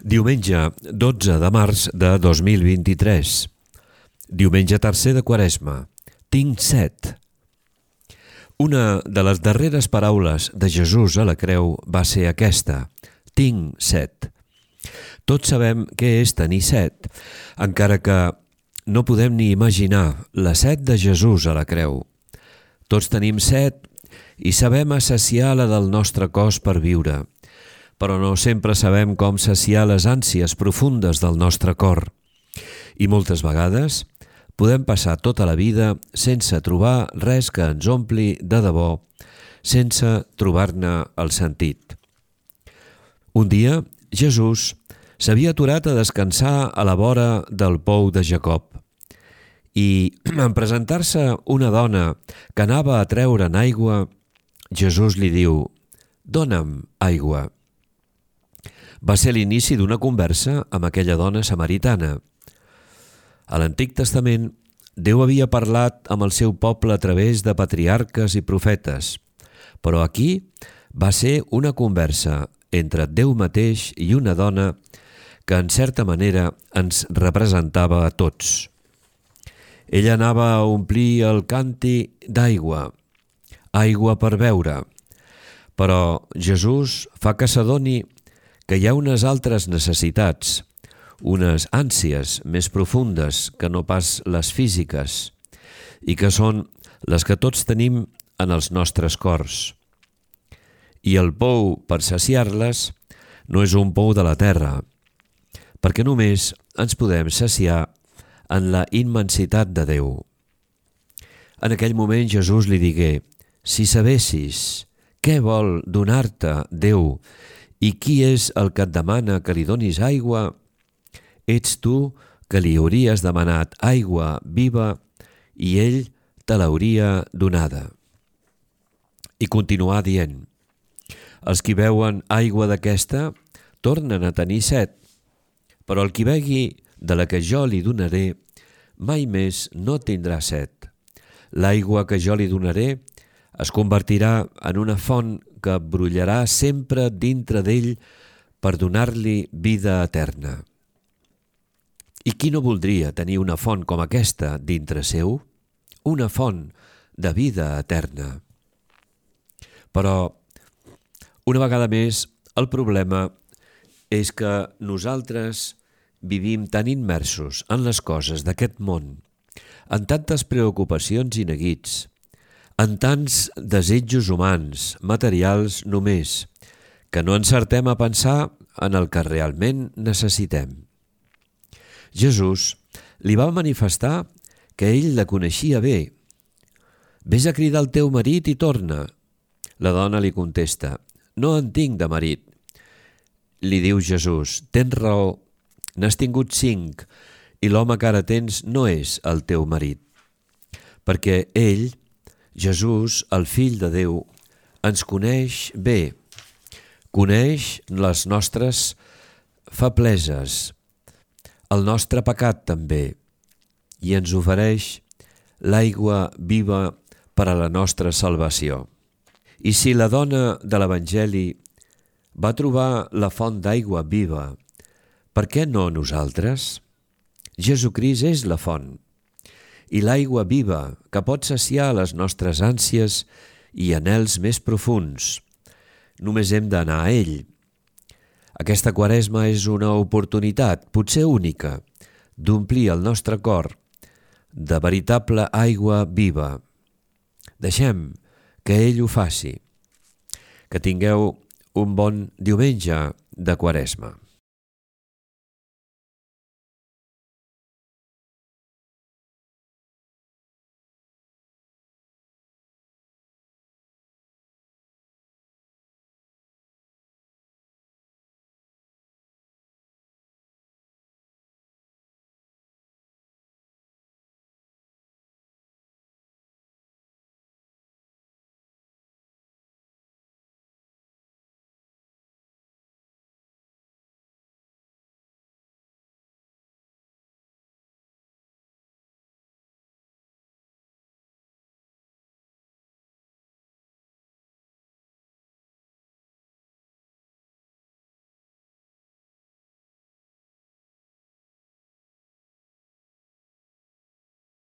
Diumenge 12 de març de 2023. Diumenge tercer de Quaresma. Tinc set. Una de les darreres paraules de Jesús a la creu va ser aquesta: tinc set. Tots sabem què és tenir set, encara que no podem ni imaginar la set de Jesús a la creu. Tots tenim set i sabem assaciar la del nostre cos per viure, però no sempre sabem com saciar les ànsies profundes del nostre cor. I moltes vegades podem passar tota la vida sense trobar res que ens ompli de debò, sense trobar-ne el sentit. Un dia, Jesús s'havia aturat a descansar a la vora del pou de Jacob i, en presentar-se una dona que anava a treure'n aigua, Jesús li diu: «Dóna'm aigua». Va ser l'inici d'una conversa amb aquella dona samaritana. A l'Antic Testament, Déu havia parlat amb el seu poble a través de patriarques i profetes, però aquí va ser una conversa entre Déu mateix i una dona que, en certa manera, ens representava a tots. Ella anava a omplir el càntir d'aigua, aigua per beure, però Jesús fa que s'adoni que hi ha unes altres necessitats, unes ànsies més profundes que no pas les físiques, i que són les que tots tenim en els nostres cors. I el pou per saciar-les no és un pou de la terra, perquè només ens podem saciar en la immensitat de Déu. En aquell moment Jesús li digué: «Si sabessis què vol donar-te Déu i qui és el que et demana que li donis aigua, ets tu que li hauries demanat aigua viva i ell te l'hauria donada». I continuà dient: «Els qui beuen aigua d'aquesta tornen a tenir set, però el qui begui de la que jo li donaré mai més no tindrà set. L'aigua que jo li donaré es convertirà en una font que brollarà sempre dintre d'ell per donar-li vida eterna». I qui no voldria tenir una font com aquesta dintre seu? Una font de vida eterna. Però, una vegada més, el problema és que nosaltres vivim tan immersos en les coses d'aquest món, en tantes preocupacions i neguits, en tants desitjos humans, materials només, que no encertem a pensar en el que realment necessitem. Jesús li va manifestar que ell la coneixia bé. «Ves a cridar el teu marit i torna». La dona li contesta: «No en tinc de marit». Li diu Jesús: «Tens raó, n'has tingut 5 i l'home que ara tens no és el teu marit». Perquè ell, Jesús, el Fill de Déu, ens coneix bé, coneix les nostres febleses, el nostre pecat també, i ens ofereix l'aigua viva per a la nostra salvació. I si la dona de l'Evangeli va trobar la font d'aigua viva, per què no nosaltres? Jesucrist és la font, i l'aigua viva que pot saciar les nostres ànsies i anhels més profunds. Només hem d'anar a ell. Aquesta Quaresma és una oportunitat, potser única, d'omplir el nostre cor de veritable aigua viva. Deixem que ell ho faci. Que tingueu un bon diumenge de Quaresma.